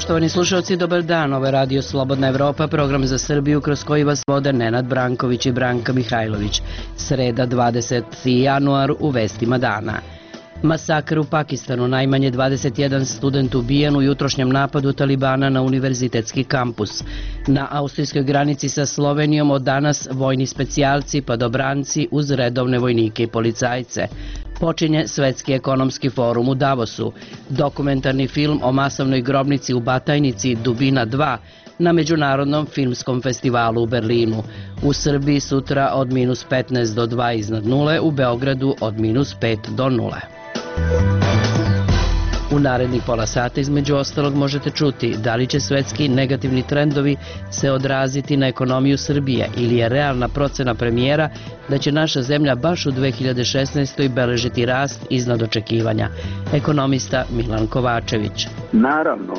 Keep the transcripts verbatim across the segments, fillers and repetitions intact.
Poštovani slušalci, dobar dan. Ovo je Radio Slobodna Evropa, program za Srbiju kroz koji vas vode Nenad Branković i Branka Mihajlović. Sreda, dvadeseti januar, u vestima dana. Masakr u Pakistanu, najmanje dvadeset jedan student ubijen u jutrošnjem napadu Talibana na univerzitetski kampus. Na austrijskoj granici sa Slovenijom od danas vojni specijalci, padobranci uz redovne vojnike i policajce. Počinje Svetski ekonomski forum u Davosu. Dokumentarni film o masovnoj grobnici u Batajnici Dubina dva na Međunarodnom filmskom festivalu u Berlinu. U Srbiji sutra od minus petnaest do dva iznad nule, u Beogradu od minus pet do nule. U narednih pola sata između ostalog možete čuti da li će svetski negativni trendovi se odraziti na ekonomiju Srbije ili je realna procena premijera da će naša zemlja baš u dve hiljade šesnaestoj beležiti rast iznad očekivanja. Ekonomista Milan Kovačević. Naravno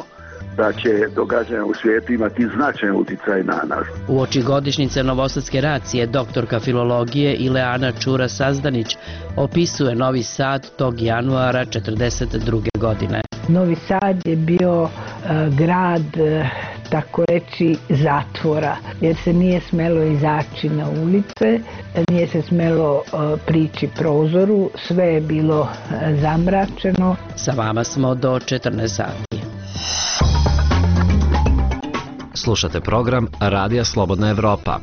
da će događanja u svijetu imati značajan uticaj na nas. U oči godišnjice novosadske racije doktorka filologije Ileana Čura-Sazdanić opisuje Novi Sad tog januara četrdeset druge godine. Novi Sad je bio uh, grad, uh, tako reći, zatvora, jer se nije smelo izaći na ulice, nije se smelo uh, prići prozoru, sve je bilo uh, zamračeno. Sa vama smo do četrnaest sati. Slušate program Radija Slobodna Evropa.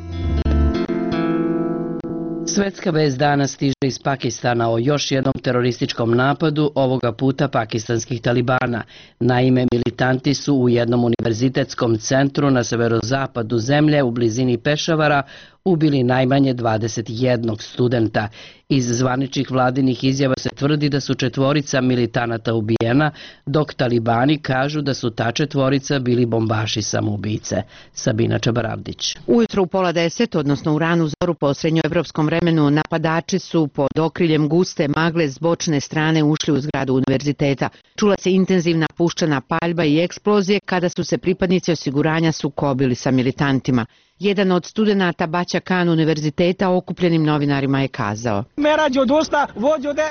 Svetska vest danas stiže iz Pakistana o još jednom terorističkom napadu, ovoga puta pakistanskih talibana. Naime, militanti su u jednom univerzitetskom centru na severozapadu zemlje u blizini Pešavara ubili najmanje dvadeset jednog studenta. Iz zvaničnih vladinih izjava se tvrdi da su četvorica militanata ubijena, dok talibani kažu da su ta četvorica bili bombaši samoubice. Sabina Čabaravdić. Ujutro u pola deset, odnosno u ranu zoru po srednjoevropskom vremenu, napadači su pod okriljem guste magle s bočne strane ušli u zgradu univerziteta. Čula se intenzivna puščana paljba i eksplozije kada su se pripadnici osiguranja sukobili sa militantima. Jedan od studenata Baća Kan univerziteta okupljenim novinarima je kazao: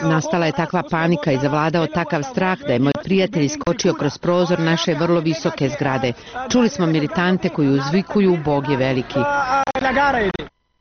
nastala je takva panika i zavladao takav strah da je moj prijatelj iskočio kroz prozor naše vrlo visoke zgrade. Čuli smo militante koji uzvikuju Bog je veliki.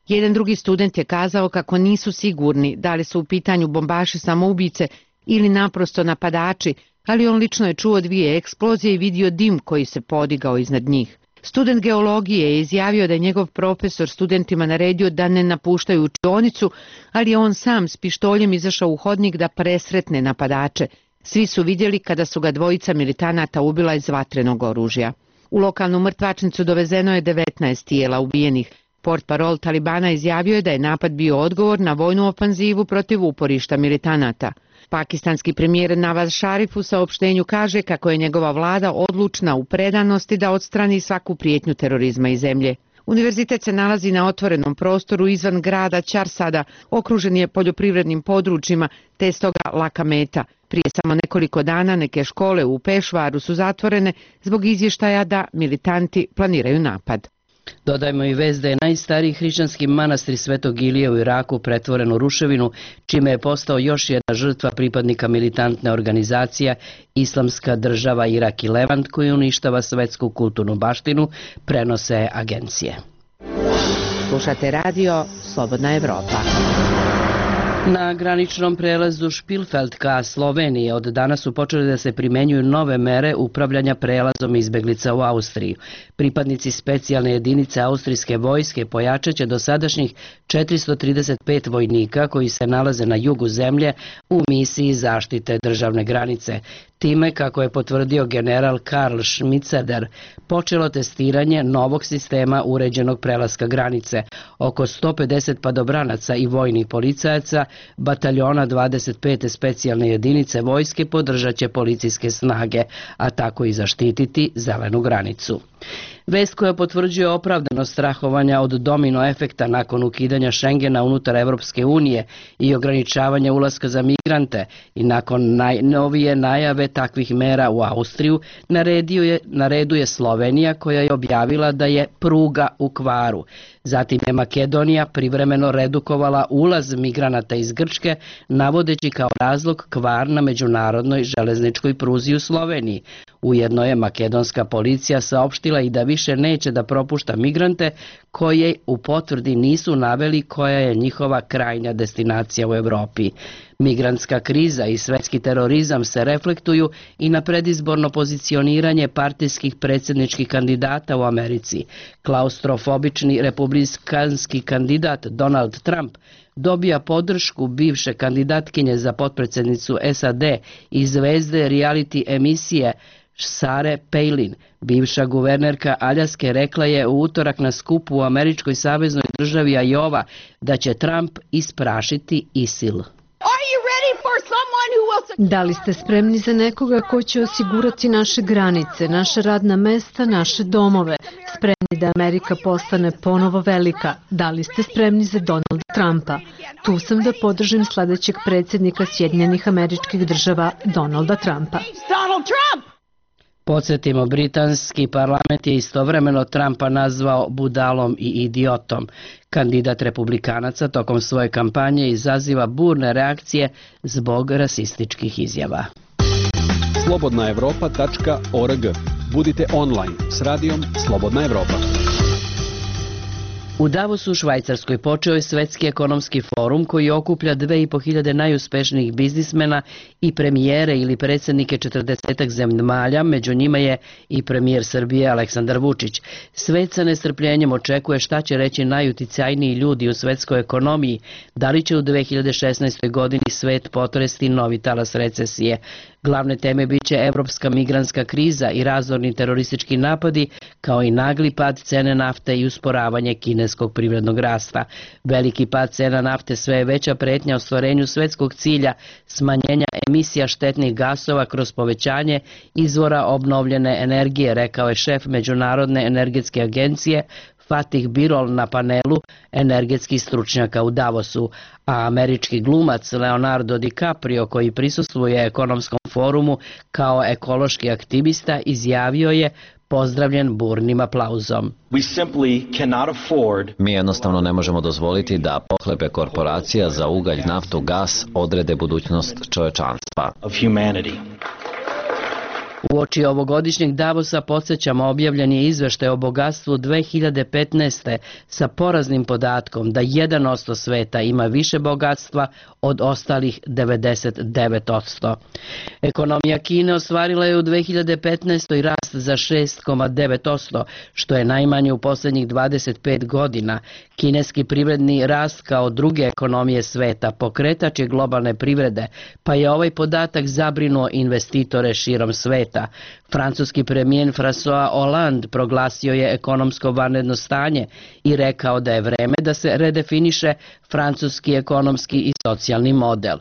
Jedan drugi student je kazao kako nisu sigurni da li su u pitanju bombaši samoubice ili naprosto napadači, ali on lično je čuo dvije eksplozije i vidio dim koji se podigao iznad njih. Student geologije je izjavio da je njegov profesor studentima naredio da ne napuštaju učionicu, ali je on sam s pištoljem izašao u hodnik da presretne napadače. Svi su vidjeli kada su ga dvojica militanata ubila iz vatrenog oružja. U lokalnu mrtvačnicu dovezeno je devetnaest tijela ubijenih. Portparol Talibana izjavio je da je napad bio odgovor na vojnu ofanzivu protiv uporišta militanata. Pakistanski premijer Nawaz Sharif u saopštenju kaže kako je njegova vlada odlučna u predanosti da odstrani svaku prijetnju terorizma iz zemlje. Univerzitet se nalazi na otvorenom prostoru izvan grada Čarsada, okružen je poljoprivrednim područjima, te je stoga laka meta. Prije samo nekoliko dana neke škole u Pešvaru su zatvorene zbog izvještaja da militanti planiraju napad. Dodajmo i vest da je najstariji hrišćanski manastir Svetog Ilije u Iraku pretvoren u ruševinu, čime je postao još jedna žrtva pripadnika militantne organizacije Islamska država Irak i Levant, koji uništava svetsku kulturnu baštinu, prenose agencije. Slušate radio Slobodna Evropa. Na graničnom prelazu Špilfeld ka Sloveniji od danas su počeli da se primenjuju nove mere upravljanja prelazom izbeglica u Austriju. Pripadnici specijalne jedinice austrijske vojske pojačat će dosadašnjih četiristo trideset pet vojnika koji se nalaze na jugu zemlje u misiji zaštite državne granice. Time, kako je potvrdio general Karl Schmitzeder, počelo testiranje novog sistema uređenog prelaska granice. Oko sto pedeset padobranaca i vojnih policajaca bataljona dvadeset pete specijalne jedinice vojske podržat će policijske snage, a tako i zaštititi zelenu granicu. Vest koja potvrđuje opravdanost strahovanja od domino efekta nakon ukidanja Šengena unutar Evropske unije i ograničavanja ulaska za migrante i nakon najnovije najave takvih mera u Austriju, naredio je, nareduje Slovenija koja je objavila da je pruga u kvaru. Zatim je Makedonija privremeno redukovala ulaz migranata iz Grčke, navodeći kao razlog kvar na međunarodnoj železničkoj pruzi u Sloveniji. Ujedno je makedonska policija saopštila i da više neće da propušta migrante koje u potvrdi nisu naveli koja je njihova krajnja destinacija u Evropi. Migrantska kriza i svetski terorizam se reflektuju i na predizborno pozicioniranje partijskih predsjedničkih kandidata u Americi. Klaustrofobični republikanski kandidat Donald Trump dobija podršku bivše kandidatkinje za potpredsjednicu S A D i zvezde reality emisije Sarah Palin. Bivša guvernerka Aljaske rekla je u utorak na skupu u američkoj saveznoj državi Iowa da će Trump isprašiti ISIL. Da li ste spremni za nekoga ko će osigurati naše granice, naše radna mesta, naše domove? Spremni da Amerika postane ponovo velika? Da li ste spremni za Donalda Trumpa? Tu sam da podržim sledećeg predsjednika Sjedinjenih Američkih Država, Donalda Trumpa. Podsjetimo, britanski parlament je istovremeno Trumpa nazvao budalom i idiotom. Kandidat republikanaca tokom svoje kampanje izaziva burne reakcije zbog rasističkih izjava. slobodna evropa tačka org. Budite online s radijom Slobodna Evropa. U Davosu u Švajcarskoj počeo je Svetski ekonomski forum koji okuplja dve i po hiljade najuspešnijih biznismena i premijere ili predsjednike četrdesetak zemalja, među njima je i premijer Srbije Aleksandar Vučić. Svet sa nestrpljenjem očekuje šta će reći najuticajniji ljudi u svetskoj ekonomiji, da li će u dve hiljade šesnaestoj godini svet potresti novi talas recesije. Glavne teme biće evropska migrantska kriza i razorni teroristički napadi, kao i nagli pad cene nafte i usporavanje kineskog privrednog rasta. Veliki pad cena nafte sve je veća pretnja ostvarenju svetskog cilja smanjenja emisija štetnih gasova kroz povećanje izvora obnovljene energije, rekao je šef Međunarodne energetske agencije Fatih Birol na panelu energetskih stručnjaka u Davosu, a američki glumac Leonardo DiCaprio, koji prisustvuje ekonomskom forumu kao ekološki aktivista, izjavio je pozdravljen burnim aplauzom. Mi jednostavno ne možemo dozvoliti da pohlepe korporacija za ugalj, naftu, gas odrede budućnost čovečanstva. Uoči ovogodišnjeg Davosa podsjećamo objavljen je izveštaj o bogatstvu dve hiljade petnaeste. sa poraznim podatkom da jedan posto sveta ima više bogatstva od ostalih devedeset devet posto. Ekonomija Kine ostvarila je u dve hiljade petnaestoj. rast za šest zarez devet posto, što je najmanje u posljednjih dvadeset pet godina. Kineski privredni rast kao druge ekonomije sveta pokretač je globalne privrede, pa je ovaj podatak zabrinuo investitore širom sveta. Francuski premijer François Hollande proglasio je ekonomsko vanredno stanje i rekao da je vreme da se redefiniše francuski ekonomski i socijalni model.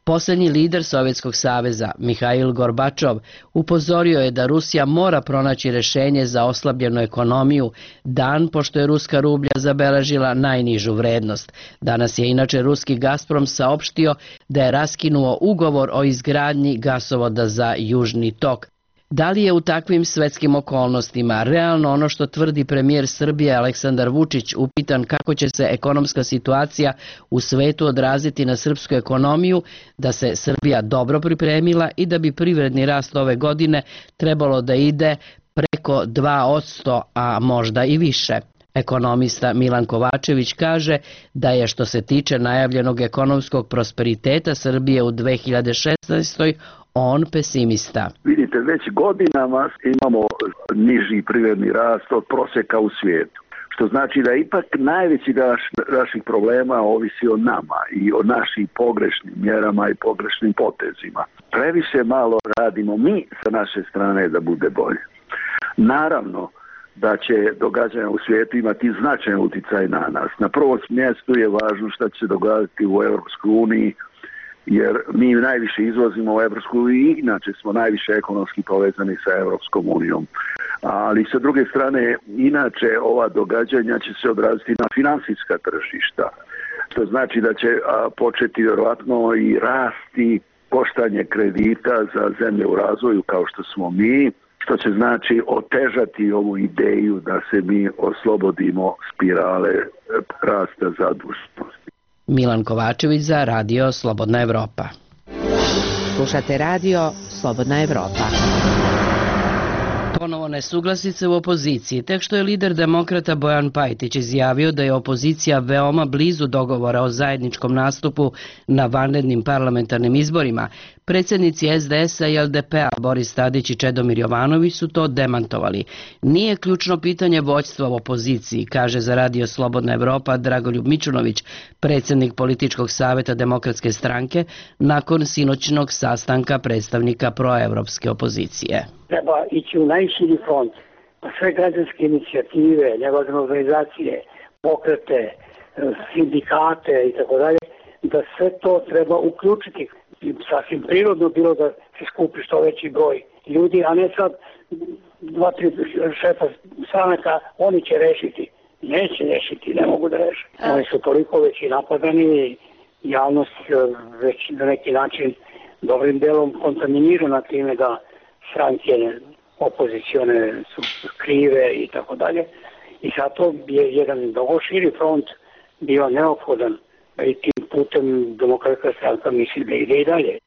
Posljednji lider Sovjetskog saveza, Mihail Gorbačov, upozorio je da Rusija mora pronaći rješenje za oslabljenu ekonomiju, dan pošto je ruska rublja zabeležila najnižu vrednost. Danas je inače ruski Gazprom saopštio da je raskinuo ugovor o izgradnji gasovoda za Južni tok. Da li je u takvim svetskim okolnostima realno ono što tvrdi premijer Srbije Aleksandar Vučić, upitan kako će se ekonomska situacija u svetu odraziti na srpsku ekonomiju, da se Srbija dobro pripremila i da bi privredni rast ove godine trebalo da ide preko dva posto, a možda i više. Ekonomista Milan Kovačević kaže da je što se tiče najavljenog ekonomskog prosperiteta Srbije u dve hiljade šesnaestoj. on pesimista. Vidite, već godinama imamo niži privredni rast od prosjeka u svijetu. Što znači da ipak najveći naš, naših problema ovisi o nama i o našim pogrešnim mjerama i pogrešnim potezima. Previše malo radimo mi sa naše strane da bude bolje. Naravno da će događanja u svijetu imati značajan utjecaj na nas. Na prvom mjestu je važno što će se događati u Europskoj uniji jer mi najviše izvozimo u Evropsku i inače smo najviše ekonomski povezani sa Evropskom unijom. Ali sa druge strane, inače ova događanja će se odraziti na finansijska tržišta, što znači da će a, početi vjerovatno i rasti koštanje kredita za zemlje u razvoju kao što smo mi, što će znači otežati ovu ideju da se mi oslobodimo spirale rasta zaduženosti. Milan Kovačević za Radio Slobodna Evropa. Slušate Radio Slobodna Evropa. Ponovo nesuglasice u opoziciji, tek što je lider demokrata Bojan Pajtić izjavio da je opozicija veoma blizu dogovora o zajedničkom nastupu na vanrednim parlamentarnim izborima. Predsjednici es de es a i el de pe a Boris Tadić i Čedomir Jovanović su to demantovali. Nije ključno pitanje vođstva u opoziciji, kaže za Radio Slobodna Evropa Dragoljub Mićunović, predsjednik političkog savjeta Demokratske stranke, nakon sinoćnog sastanka predstavnika proevropske opozicije. Treba ići u najširi front, pa sve građanske inicijative, nevladine organizacije, pokrete, sindikate i tako dalje, da sve to treba uključiti. Sasvim prirodno bilo da se skupi što veći broj ljudi, a ne sad dva, tri šefa stranaka, oni će rešiti. Neće rešiti, ne mogu da reše. Oni su toliko već i napadani, javnost već na neki način dobrim delom kontaminirana time da stranke opozicione su krive i tako dalje. I zato je jedan mnogo širi front bio neophodan i tim putem Demokratska stranka misli da ide i dalje.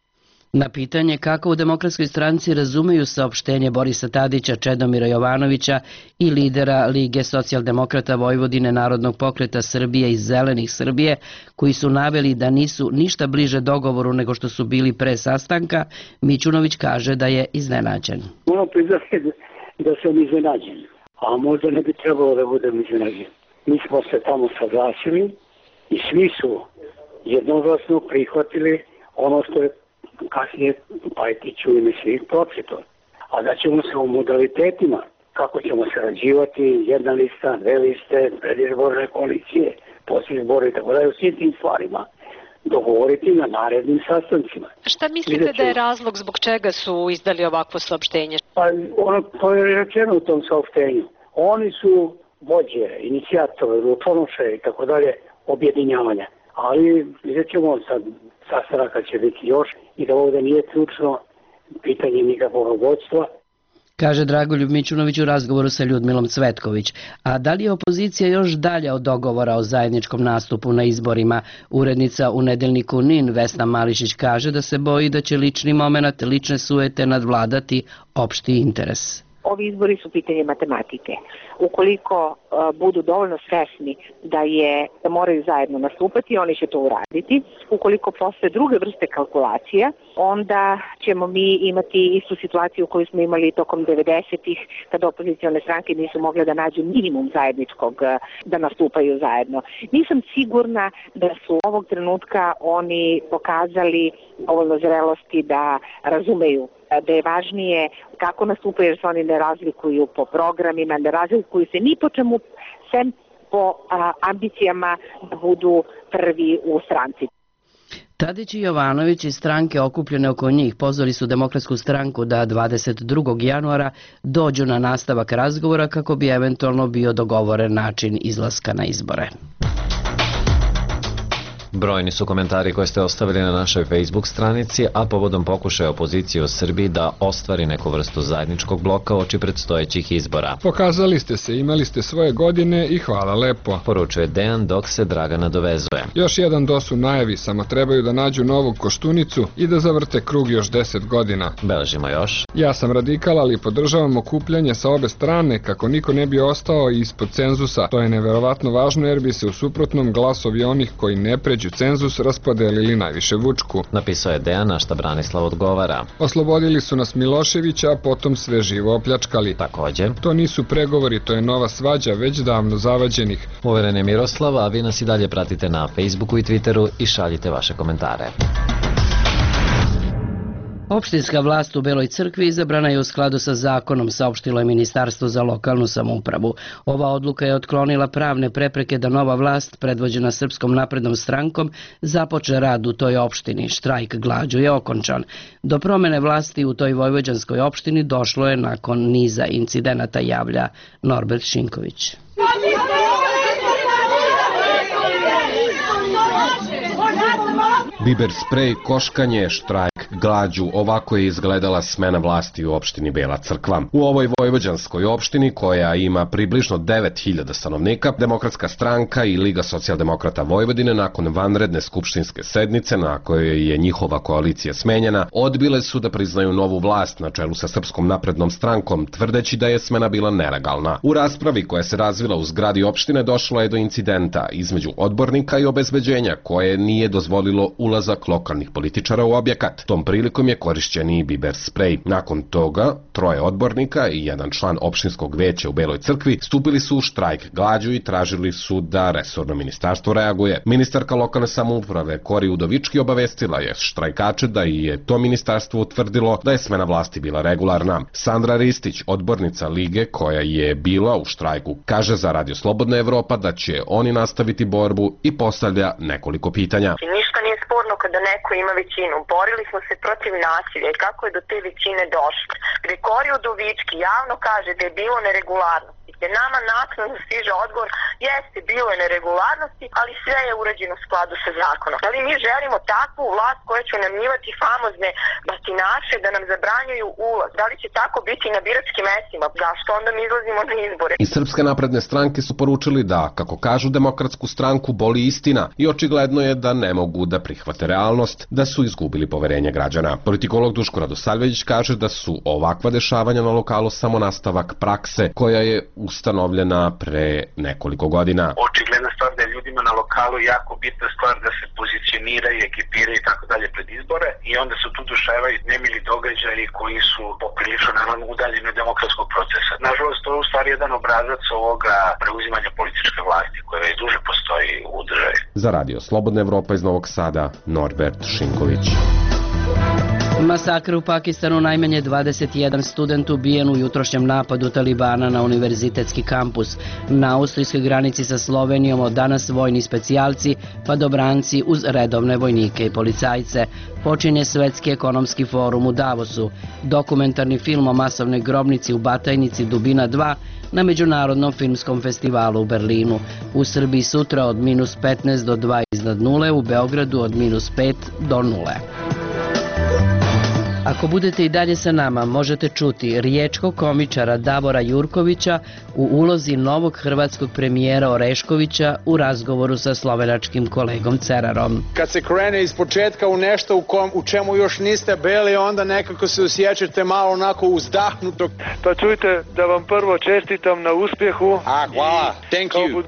Na pitanje kako u Demokratskoj stranci razumeju saopštenje Borisa Tadića, Čedomira Jovanovića i lidera Lige socijaldemokrata Vojvodine, Narodnog pokreta Srbije i Zelenih Srbije, koji su naveli da nisu ništa bliže dogovoru nego što su bili pre sastanka, Mićunović kaže da je iznenađen. Moram priznati da sam iznenađen, a možda ne bi trebalo da budem iznenađen. Mi smo se tamo saglasili i svi su jednoglasno prihvatili ono što je kasnije Pajtić u ime svih pročito. A da ćemo se u modalitetima, kako ćemo sarađivati, jedna lista, dve liste, predizborne koalicije, posljedizborne i tako dalje, u svim tim stvarima dogovoriti na narednim sastancima. Šta mislite da je razlog zbog čega su izdali ovakvo saopštenje? Pa ono, to je rečeno u tom saopštenju. Oni su vođe, inicijatori, rukonoše i tako dalje objedinjavanja. Ali vidjet ćemo sad, sastanaka će biti još i da ovdje nije ključno pitanje nikakvog vodstva. Kaže Dragoljub Mićunović u razgovoru sa Ljudmilom Cvetković. A da li je opozicija još dalje od dogovora o zajedničkom nastupu na izborima? Urednica u nedeljniku Nin Vesna Mališić kaže da se boji da će lični moment, lične sujete nadvladati opšti interes. Ovi izbori su pitanje matematike. Ukoliko uh, budu dovoljno svesni da je da moraju zajedno nastupati, oni će to uraditi. Ukoliko postoje druge vrste kalkulacija, onda ćemo mi imati istu situaciju koju smo imali tokom devedesetih, kada opozicione stranke nisu mogle da nađu minimum zajedničkog, uh, da nastupaju zajedno. Nisam sigurna da su ovog trenutka oni pokazali dovoljno zrelosti da razumeju da je važnije kako nastupaju, jer se oni ne razlikuju po programima, ne razlikuju se ni po čemu, sem po a, ambicijama da budu prvi u stranci. Tadić i Jovanović i stranke okupljene oko njih pozvali su Demokratsku stranku da dvadeset drugog januara dođu na nastavak razgovora kako bi eventualno bio dogovoren način izlaska na izbore. Brojni su komentari koje ste ostavili na našoj Facebook stranici, a povodom pokušaja opozicije u Srbiji da ostvari neku vrstu zajedničkog bloka oči predstojećih izbora. Pokazali ste se, imali ste svoje godine i hvala lepo. Poručuje Dejan dok se Draga nadovezuje. Još jedan dos u najavi, samo trebaju da nađu novu Koštunicu i da zavrte krug još deset godina. Beležimo još. Ja sam radikal, ali podržavam okupljanje sa obe strane kako niko ne bi ostao ispod cenzusa. To je neverovatno važno jer bi se u suprotnom glasovi onih koji ne pređu cenzus raspodelili najviše Vučku. Napisao je Dejan, na šta Branislav odgovara. Oslobodili su nas Miloševića, a potom sve živo opljačkali. Takođe. To nisu pregovori, to je nova svađa već davno zavađenih. Uveren je Miroslav, a vi nas i dalje pratite na Facebooku i Twitteru i šaljite vaše komentare. Opštinska vlast u Beloj Crkvi izabrana je u skladu sa zakonom, saopštilo je Ministarstvo za lokalnu samoupravu. Ova odluka je otklonila pravne prepreke da nova vlast, predvođena Srpskom naprednom strankom, započne rad u toj opštini. Štrajk glađu je okončan. Do promene vlasti u toj vojvođanskoj opštini došlo je nakon niza incidenata, javlja Norbert Šinković. Biber sprej, koškanje, štrajk, glađu, ovako je izgledala smena vlasti u opštini Bela Crkva. U ovoj vojvođanskoj opštini, koja ima približno devet hiljada stanovnika, Demokratska stranka i Liga socijaldemokrata Vojvodine nakon vanredne skupštinske sednice na kojoj je njihova koalicija smenjena, odbile su da priznaju novu vlast na čelu sa Srpskom naprednom strankom, tvrdeći da je smena bila nelegalna. U raspravi koja se razvila u zgradi opštine došlo je do incidenta između odbornika i obezbeđenja koje nije dozvolilo ulazak lokalnih političara u objekat. Tom prilikom je korišćen i biber sprej. Nakon toga, troje odbornika i jedan član opštinskog veća u Beloj Crkvi stupili su u štrajk glađu i tražili su da resorno ministarstvo reaguje. Ministarka lokalne samouprave Kori Udovički obavestila je štrajkače da je to ministarstvo utvrdilo da je smena vlasti bila regularna. Sandra Ristić, odbornica Lige koja je bila u štrajku, kaže za Radio Slobodna Evropa da će oni nastaviti borbu i postavlja nekoliko pitanja. Ništa nije sporno kada neko ima većinu. Borili smo se protiv nasilja i kako je do te većine došlo. Gde Kori Udovički javno kaže da je bilo neregularnosti. Gde nama naknadno stiže odgovor, jeste, bilo je neregularnosti, ali sve je urađeno u skladu sa zakonom. Ali mi želimo takvu vlast koja će namnjivati famozne batinaše da nam zabranjuju ulaz. Da li će tako biti na biračkim mestima? Zašto onda mi izlazimo na izbore? Iz Srpske napredne stranke su poručili da, kako kažu Demokratsku stranku, boli istina i očigledno je da ne mogu da prihvate realnost, da su izgubili poverenje građana. Politikolog Duško Radosavljević kaže da su ovakva dešavanja na lokalu samo nastavak prakse koja je ustanovljena pre nekoliko godina. Očigledna stvar da je ljudima na lokalu jako bitna stvar da se pozicioniraju, ekipiraju i tako dalje pred izbore i onda se tu duševaju nemili događaji koji su poprilično naravno udaljeni od demokratskog procesa. Nažalost, to je u stvari jedan obrazac ovoga preuzimanja političke vlasti koja već duže postoji u državi. Za Radio Slobodna Evropa iz Novog Sada, Norbert Šinković. Masakr u Pakistanu, najmanje dvadeset jedan student ubijen u jutrošnjem napadu Talibana na univerzitetski kampus. Na austrijskoj granici sa Slovenijom od danas vojni specijalci, padobranci uz redovne vojnike i policajce. Počinje Svetski ekonomski forum u Davosu. Dokumentarni film o masovnoj grobnici u Batajnici Dubina dva na Međunarodnom filmskom festivalu u Berlinu. U Srbiji sutra od minus petnaest do dva iznad nule, u Beogradu od minus pet do nule. Ako budete i dalje sa nama, možete čuti riječkog komičara Davora Jurkovića u ulozi novog hrvatskog premijera Oreškovića u razgovoru sa slovenačkim kolegom Cerarom. Kad se krene iz početka u nešto u, kom, u čemu još niste bili, onda nekako se osjećate malo onako uzdahnuto. Pa čujte, da vam prvo čestitam na uspjehu. A, hvala, thank you.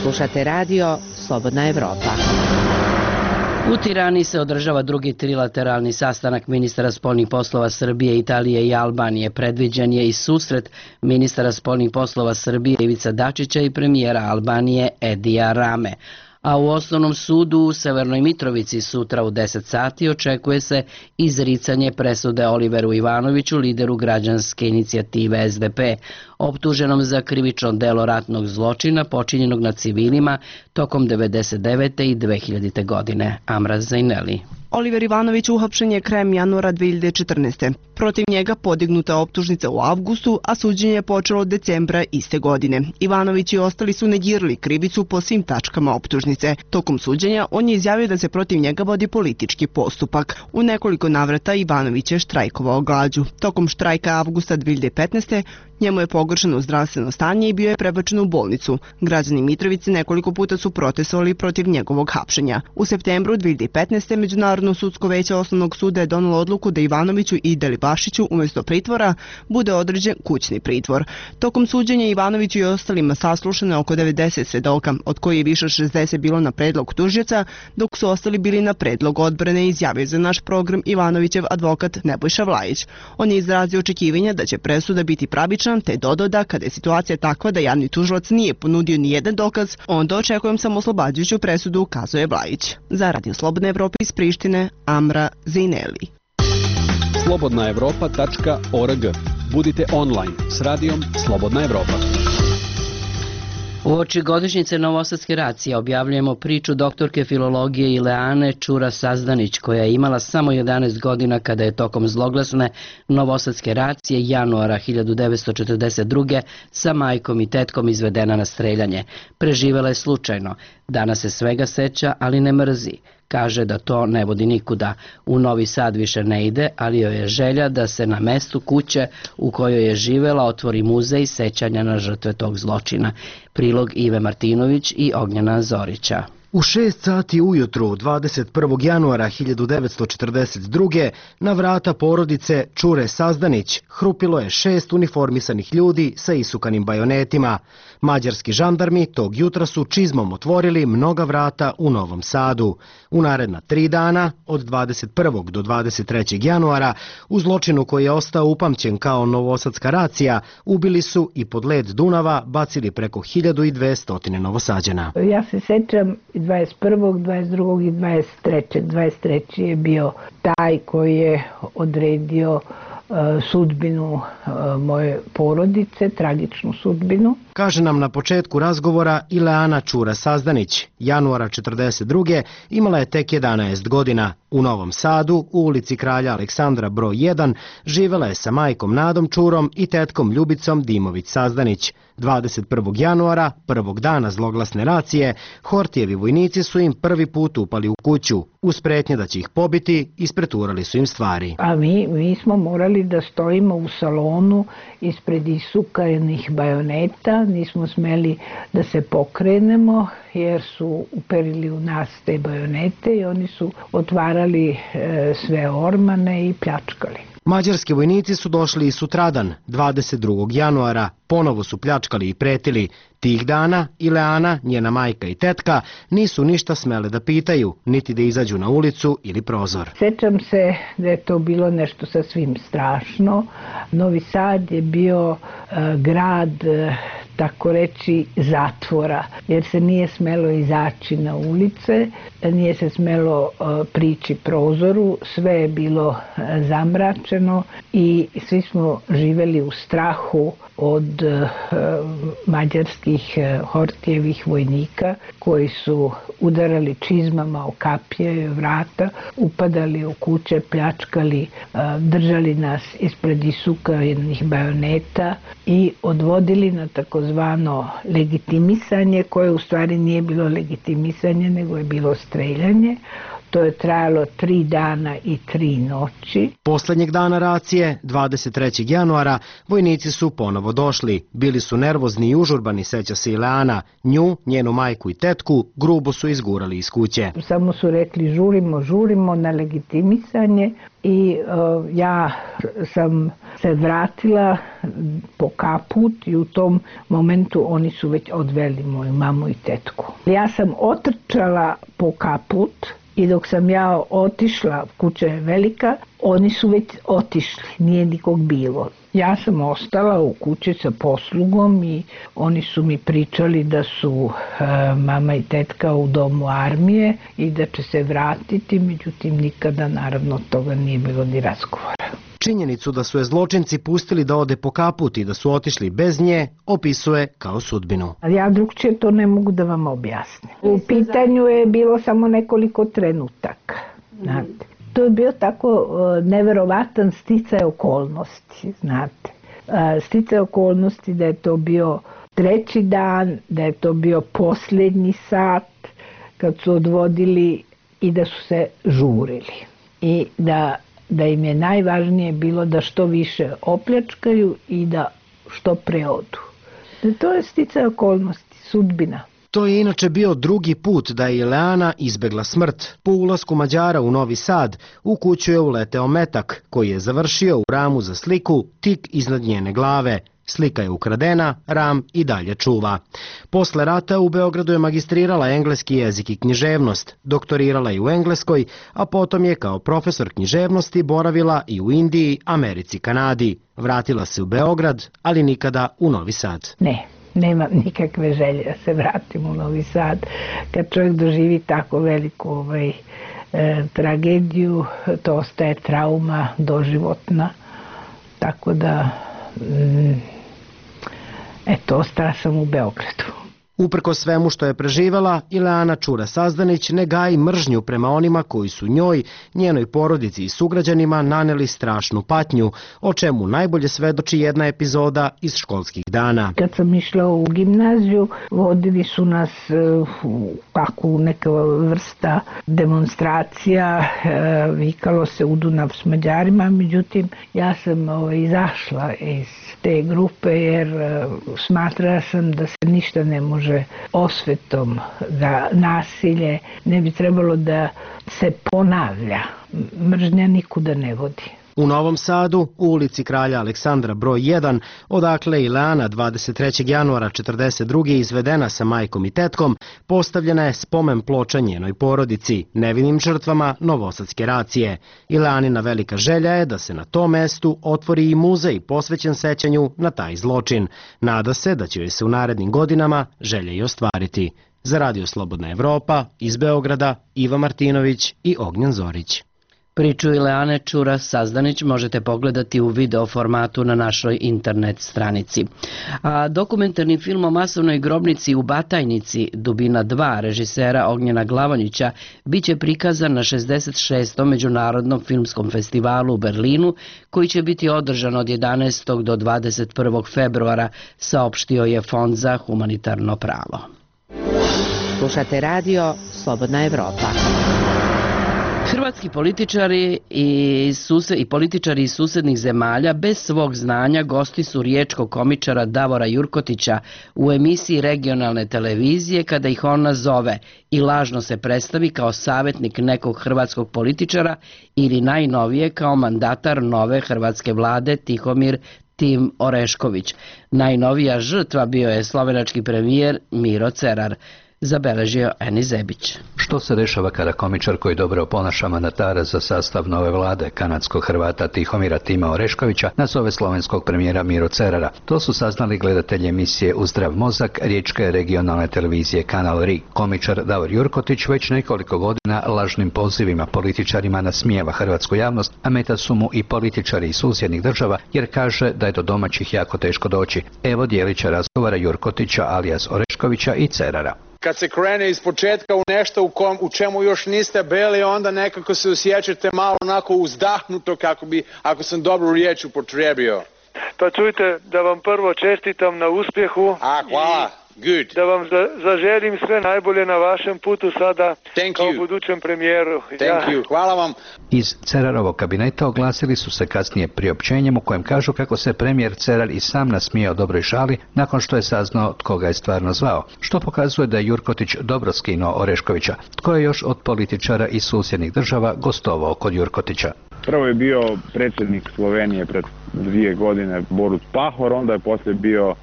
Slušate radio Slobodna Evropa. U Tirani se održava drugi trilateralni sastanak ministara spoljnih poslova Srbije, Italije i Albanije. Predviđen je i susret ministara spoljnih poslova Srbije Ivica Dačića i premijera Albanije Edija Rame. A u Osnovnom sudu u Severnoj Mitrovici sutra u deset sati očekuje se izricanje presude Oliveru Ivanoviću, lideru građanske inicijative S D P, optuženom za krivično delo ratnog zločina počinjenog nad civilima tokom devedeset devete i dve hiljadite godine. Amra Zajneli. Oliver Ivanović uhapšen je krajem januara dve hiljade četrnaeste. Protiv njega podignuta optužnica u avgustu, a suđenje je počelo od decembra iste godine. Ivanović i ostali su negirali krivicu po svim tačkama optužnice. Tokom suđenja on je izjavio da se protiv njega vodi politički postupak. U nekoliko navrata Ivanović je štrajkovao glađu. Tokom štrajka avgusta dve hiljade petnaeste njemu je pogoršano zdravstveno stanje i bio je prebačen u bolnicu. Građani Mitrovice nekoliko puta su protestovali protiv njegovog hapšenja. U septembru dve hiljade petnaeste. Međunarodno sudsko veće Osnovnog suda je donelo odluku da Ivanoviću i Delibašiću umjesto pritvora bude određen kućni pritvor. Tokom suđenja Ivanoviću i ostalima saslušano oko devedeset svedoka, od koji je više od šezdeset bilo na predlog tužioca, dok su ostali bili na predlog odbrane, izjavio za naš program Ivanovićev advokat Nebojša Vlajić. On je izrazio očekivanja da će presuda biti pravična, te dodao da kada je situacija takva da javni tužilac nije ponudio ni jedan dokaz, onda očekujem samo oslobađajuću presudu, ukazuje Vlajić. Za Radio Slobodna Evropa iz Prištine, Amra Zajneli. slobodna evropa tačka org. Budite online s radijom Slobodna Evropa. Uoči godišnjice Novosadske racije objavljujemo priču doktorke filologije Ileane Čura Sazdanić, koja je imala samo jedanaest godina kada je tokom zloglasne Novosadske racije januara hiljadu devetsto četrdeset druge sa majkom i tetkom izvedena na streljanje. Preživela je slučajno. Danas se svega seća, ali ne mrzi. Kaže da to ne vodi nikuda. U Novi Sad više ne ide, ali joj je želja da se na mestu kuće u kojoj je živela otvori muzej sećanja na žrtve tog zločina. Prilog Ive Martinović i Ognjena Zorića. U šest sati ujutru dvadeset prvog januara hiljadu devetsto četrdeset druge na vrata porodice Čure Sazdanić hrupilo je šest uniformisanih ljudi sa isukanim bajonetima. Mađarski žandarmi tog jutra su čizmom otvorili mnoga vrata u Novom Sadu. U naredna tri dana, od dvadeset prvog do dvadeset trećeg januara, u zločinu koji je ostao upamćen kao Novosadska racija, ubili su i pod led Dunava bacili preko hiljadu dvesta Novosađana. Ja se sećam dvadeset prvog, dvadeset drugog i dvadeset trećeg. dvadeset treći je bio taj koji je odredio sudbinu moje porodice, tragičnu sudbinu. Kaže nam na početku razgovora Ileana Čura Sazdanić. Januara četrdeset druge imala je tek jedanaest godina. U Novom Sadu, u ulici Kralja Aleksandra broj jedan, živela je sa majkom Nadom Čurom i tetkom Ljubicom Dimović Sazdanić. dvadeset prvog januara, prvog dana zloglasne racije, Hortijevi vojnici su im prvi put upali u kuću. Uz pretnje da će ih pobiti, ispreturali su im stvari. A mi, mi smo morali da stojimo u salonu ispred isukanih bajoneta, nismo smeli da se pokrenemo jer su uperili u nas te bajonete i oni su otvarali e, sve ormane i pljačkali. Mađarski vojnici su došli i sutradan, dvadeset drugog januara, ponovo su pljačkali i pretili. Tih dana Ileana, njena majka i tetka nisu ništa smele da pitaju, niti da izađu na ulicu ili prozor. Sećam se da je to bilo nešto sasvim strašno. Novi Sad je bio uh, grad, uh, tako reći, zatvora, jer se nije smelo izaći na ulice, nije se smelo uh, prići prozoru, sve je bilo uh, zamračeno i svi smo živeli u strahu od uh, mađarskih uh, Hortijevih vojnika koji su udarali čizmama o kapije i vrata, upadali u kuće, pljačkali, uh, držali nas ispred isukanih bajoneta i odvodili na takozvano legitimisanje, koje u stvari nije bilo legitimisanje, nego je bilo streljanje. To je trajalo tri dana i tri noći. Poslednjeg dana racije, dvadeset trećeg januara, vojnici su ponovo došli. Bili su nervozni i užurbani, seća se Ileana. Nju, njenu majku i tetku, grubo su izgurali iz kuće. Samo su rekli žurimo, žurimo na legitimisanje i uh, ja sam se vratila po kaput i u tom momentu oni su već odveli moju mamu i tetku. Ja sam otrčala po kaput i dok sam ja otišla, kuća je velika, oni su već otišli, nije nikog bilo. Ja sam ostala u kući sa poslugom i oni su mi pričali da su e, mama i tetka u domu armije i da će se vratiti, međutim nikada naravno toga nije bilo ni razgovora. Činjenicu da su je zločinci pustili da ode po kaput i da su otišli bez nje, opisuje kao sudbinu. Ja drugčije to ne mogu da vam objasnim. U pitanju je bilo samo nekoliko trenutaka. Znate. To je bio tako uh, neverovatan sticaj okolnosti, znate. Uh, sticaj okolnosti da je to bio treći dan, da je to bio posljednji sat kad su odvodili i da su se žurili. I da da im je najvažnije bilo da što više opljačkaju i da što pre odu. To je sticaj okolnosti, sudbina. To je inače bio drugi put da je Ileana izbegla smrt. Po ulasku Mađara u Novi Sad, u kuću je uleteo metak, koji je završio u ramu za sliku tik iznad njene glave. Slika je ukradena, ram i dalje čuva. Posle rata u Beogradu je magistrirala engleski jezik i književnost, doktorirala je u Engleskoj, a potom je kao profesor književnosti boravila i u Indiji, Americi, Kanadi. Vratila se u Beograd, ali nikada u Novi Sad. Ne, nemam nikakve želje da se vratim u Novi Sad. Kad čovjek doživi tako veliku ovaj, e, tragediju, to ostaje trauma doživotna. Tako da, mm, eto, ostala sam u Beogradu. Uprko svemu što je preživela, Ileana Čura Sazdanić ne gaji mržnju prema onima koji su njoj, njenoj porodici i sugrađanima naneli strašnu patnju, o čemu najbolje svedoči jedna epizoda iz školskih dana. Kad sam išla u gimnaziju, vodili su nas u kakvu neka vrsta demonstracija, vikalo se u Dunav s Mađarima, međutim ja sam ovaj, izašla iz te grupe jer smatrala sam da se ništa ne može osvetom, da nasilje ne bi trebalo da se ponavlja. Mržnja nikuda ne vodi. U Novom Sadu, u ulici Kralja Aleksandra broj jedan, odakle Ileana dvadeset trećeg januara četrdeset druge izvedena sa majkom i tetkom, postavljena je spomen ploča njenoj porodici, nevinim žrtvama novosadske racije. Ileanina velika želja je da se na tom mestu otvori i muzej posvećen sećanju na taj zločin. Nada se da će joj se u narednim godinama želja i ostvariti. Za Radio Slobodna Evropa, iz Beograda, Iva Martinović i Ognjen Zorić. Priču Ileane Čura Sazdanić možete pogledati u video formatu na našoj internet stranici. A dokumentarni film o masovnoj grobnici u Batajnici, Dubina dva, režisera Ognjena Glavonjića, biće prikazan na šezdeset šestom Međunarodnom filmskom festivalu u Berlinu, koji će biti održan od jedanaestog do dvadeset prvog februara, saopštio je Fond za humanitarno pravo. Slušate radio Slobodna Evropa. Hrvatski političari i, suse, i političari iz susednih zemalja bez svog znanja gosti su riječkog komičara Davora Jurkotića u emisiji regionalne televizije kada ih on nazove i lažno se predstavi kao savjetnik nekog hrvatskog političara ili najnovije kao mandatar nove hrvatske vlade Tihomir Tim Orešković. Najnovija žrtva bio je slovenački premijer Miro Cerar, zabeležio Eni Zebić. Što se dešava kada komičar koji dobro oponaša mandatara za sastav nove vlade kanadskog Hrvata Tihomira Tima Oreškovića nazove slovenskog premijera Miro Cerara? To su saznali gledatelji emisije U zdrav mozak riječke regionalne televizije Kanal R I. Komičar Davor Jurkotić već nekoliko godina lažnim pozivima političarima nasmijeva hrvatsku javnost, a meta su mu i političari iz susjednih država jer kaže da je do domaćih jako teško doći. Evo dijelića razgovara Jurkotića alias Oreškovića i Cerara. Kad se krene iz početka u nešto u, kom, u čemu još niste bili, onda nekako se osjećate malo onako uzdahnuto, kako bi, ako sam dobru riječ upotrijebio. Pa čujte, da vam prvo čestitam na uspjehu. A, hvala. Good. Da vam za, zaželim sve najbolje na vašem putu sada Thank kao you. budućem premijeru. Thank ja. you. Hvala vam. Iz Cerarovog kabineta oglasili su se kasnije priopćenjem u kojem kažu kako se premijer Cerar i sam nasmijao dobroj šali nakon što je saznao tko ga je stvarno zvao, što pokazuje da je Jurkotić dobro skinuo Oreškovića. Tko je još od političara iz susjednih država gostovao kod Jurkotića? Prvo je bio predsjednik Slovenije pred dvije godine Borut Pahor, onda je poslije bio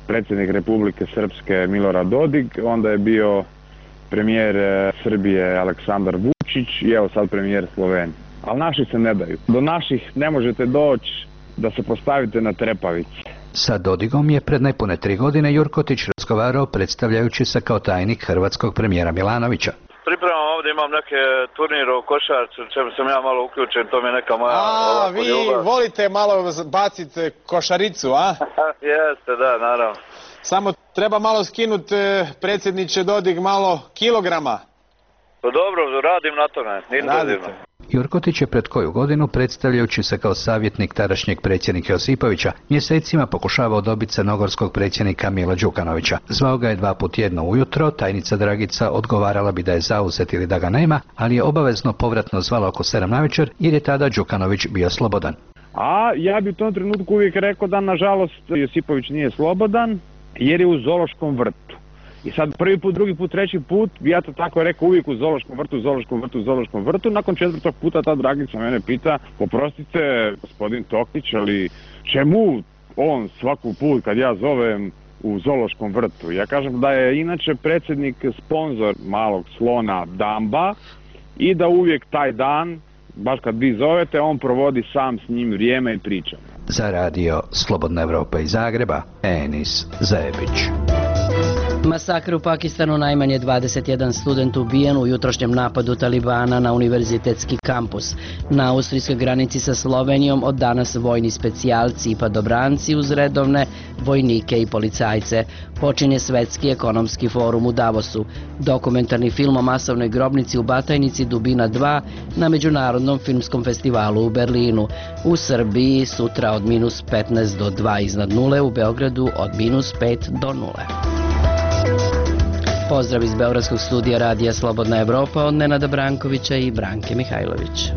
predsjednik Republike Srpske Milorad Dodik, onda je bio premijer Srbije Aleksandar Vučić i evo sad premijer Slovenije. Ali naši se ne daju. Do naših ne možete doći da se postavite na trepavici. Sa Dodigom je pred nepune tri godine Jurkotić razgovarao predstavljajući se kao tajnik hrvatskog premijera Milanovića. Pripremam ovdje, imam neke turnire u košarcu, čemu sam ja malo uključen, to mi je neka moja... A, vi ljubav. Volite malo baciti košaricu, a? Jeste, da, naravno. Samo treba malo skinuti, predsjedniče Dodig, malo kilograma. Pa dobro, radim na tome, intenzivno. Jurkotić je pred koju godinu, predstavljajući se kao savjetnik tadašnjeg predsjednika Josipovića, mjesecima pokušavao dobiti crnogorskog predsjednika Mila Đukanovića. Zvao ga je dva put jedno ujutro, tajnica Dragica odgovarala bi da je zauzet ili da ga nema, ali je obavezno povratno zvala oko sedam navečer jer je tada Đukanović bio slobodan. A ja bi u tom trenutku uvijek rekao da nažalost Josipović nije slobodan jer je u zoološkom vrtu. I sad prvi put, drugi put, treći put, ja to tako rekao uvijek u zoološkom vrtu, u zoološkom vrtu, u zoološkom vrtu. Nakon četvrtog puta ta Dragica mene pita, poprostite gospodin Toktić, ali čemu on svaku put kad ja zovem u zoološkom vrtu? Ja kažem da je inače predsjednik sponzor malog slona Damba i da uvijek taj dan, baš kad vi zovete, on provodi sam s njim vrijeme i priča. Za radio Slobodna Evropa iz Zagreba, Enis Zebić. Masakr u Pakistanu, najmanje dvadeset jedan student ubijen u jutrošnjem napadu Talibana na univerzitetski kampus. Na austrijskoj granici sa Slovenijom od danas vojni specijalci i padobranci uz redovne vojnike i policajce. Počinje Svetski ekonomski forum u Davosu. Dokumentarni film o masovnoj grobnici u Batajnici Dubina dva na Međunarodnom filmskom festivalu u Berlinu. U Srbiji sutra od minus petnaest do dva iznad nule, u Beogradu od minus pet do nule. Pozdrav iz Beogradskog studija Radija Slobodna Evropa od Nenada Brankovića i Branke Mihajlović.